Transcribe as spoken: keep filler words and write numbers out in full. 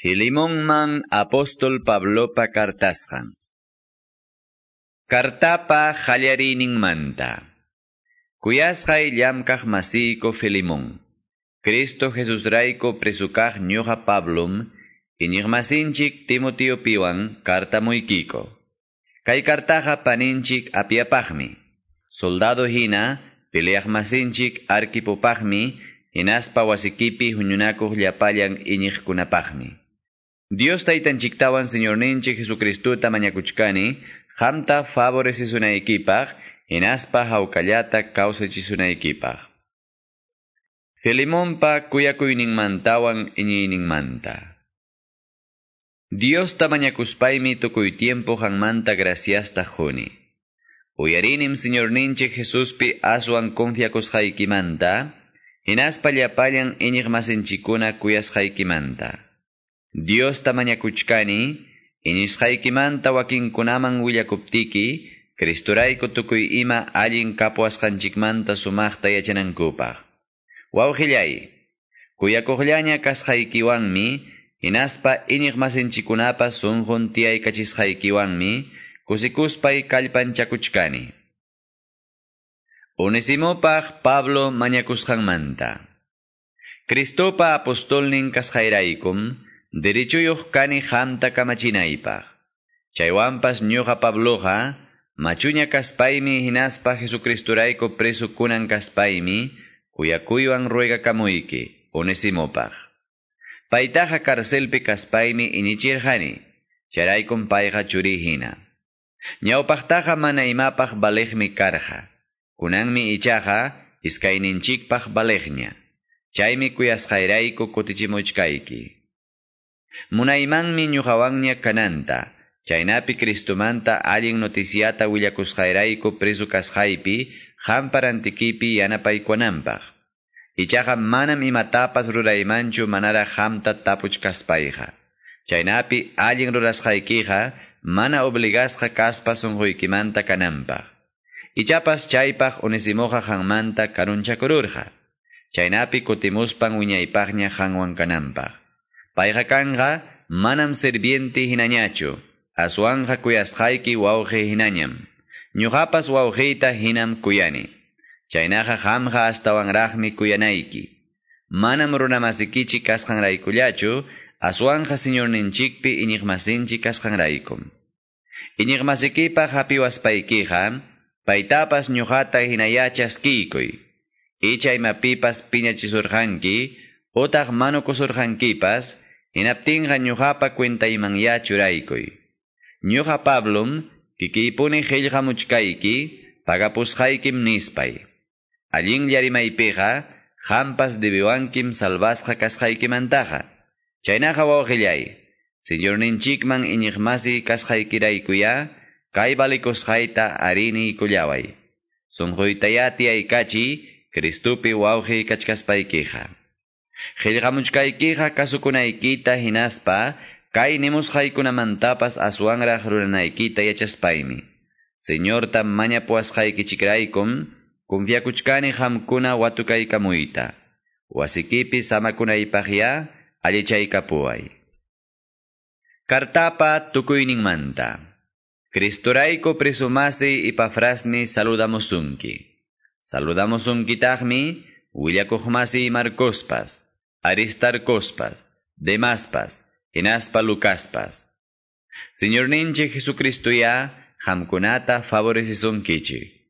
Filimonman apóstol Pablopa kartasqan. Kartapa qallariyninmanta. Kuyasqay llamkaq masiyku Filimón. Cristo Jesusrayku presukaq ñuqa Pablom, iñiqmasinchik Timoteopiwan kartamuykiko. Kay kartaqa paninchik Apiapaqmi. Soldado hina, peleaq masinchik Arquipopaqmi, hinaspa wasikipi huñunakuq llapallan iñiqkunapaqmi. Dios taytanchiktawan Señorninchik Jesucristuta mañakuchkani, qamta favorecisunaykipak, hinaspa hawkallata kawsachisunaykipaq. Filimonpa kuyakuyninmantawan iñiyninmanta. Diosta mañakuspaymi tukuy tiempo qanmanta graciasta quni. Uyarinim Señorninchik Jesuspi aswan confiakusqaykimanta, hinaspa llapallan iñiqmasinchikkuna kuyasqaykimanta. Diosta mañakuchkani, iñisqaykimanta wakinkunaman willakuptiki, Cristorayku tukuy ima allin kapuwasqanchikmanta sumaqta yachanankupaq. Wawqillay, kuyakuqllaña kasqaykiwanmi, hinaspa iñiqmasinchikkunapa sunqun tiyaykachisqaykiwanmi, kusikuspay kallpanchakuchkani. Onesimopaq Pablo mañakusqanmanta. Cristopa apostolnin kasqayraykum, derechuyuq kani qamta kamachinaypaq. Chaywanpas ñuqa Pabloqa, machuña kaspaymi hinaspa Jesucristurayku preso kunan kaspaymi, kuyakuywan ruegakamuyki, Onesimopaq. Paytaqa carcelpi kaspaymi iñichirqani, chayraykum payqa churiy hina. Ñawpaqtaqa mana imapaq valeqmi karqa. Kunanmi ichaqa iskayninchikpaq valeqña. Chaymi kuyasqayrayku kutichimuchkayki. Munaymanmi ñuqawanña kananta, chaynapi Cristomanta allin noticiata willakusqayrayku preso kasqaypi, qampa rantikipi yanapaykuwananpaq. Ichaqa manam imatapas ruraymanchu manaraq qamta tapuchkaspayqa. Chaynapi allin rurasqaykiqa mana obligasqa kaspa sunquykimanta kananpaq. Ichapas chaypaq Onesimoqa qanmanta karunchakururqa. Chaynapi kutimuspan wiñaypaqña qanwan kananpaq. Payqa kanqa manam sirviente hinañachu, aswanqa kuyasqayki wawqi hinañam. Ñuqapas wawqiyta hinam kuyani. Chaynaqa qamqa astawanraqmi kuyanayki. Manam runamasikichik kasqanraykullachu, aswanqa Señorninchikpi iñiqmasinchik kasqanraykum. Iñiqmasikipaq hapiwaspaykiqa, paytapas ñuqata hinayá chaskiykuy. Icha imapipas piñachisurqanki, utaq manukusurqankipas, hinaptinqa ñuqapa cuentaymanyá churaykuy. Ñuqa Pablom, kikiypuni qillqamuchkayki, pagapusqaykim nispay. Allinlla rimaypiqa, qampas debiwankim salvasqa kasqaykimantaqa. Chaynaqa wawqillay, Señorninchikman iñiqmasi kasqaykiraykuyá, kay valikusqayta ariniykullaway. Sunquytayá tiyaykachiy, Cristupi wawqiy kachkaspaykiqa. Qillqamuchkaykiqa kasukunaykita hinaspa, kay nimusqaykunamantapas aswanraq ruranaykita yachaspaymi. Señorta mañapuwasqaykichikraykum, confiakuchkani qamkuna watukaykamuyta. Wasikipi samakunaypaqyá allichaykapuway. Kartapa tukuyninmanta. Cristorayku presumasiy Epafrasmi saludamusunki. Saludamusunkitaqmi willakuqmasiy Marcospas, Aristarcospas, Demaspas, hinaspa Lucaspas. Señorninchik Jesucristoyá qamkunata favorecisunkichik.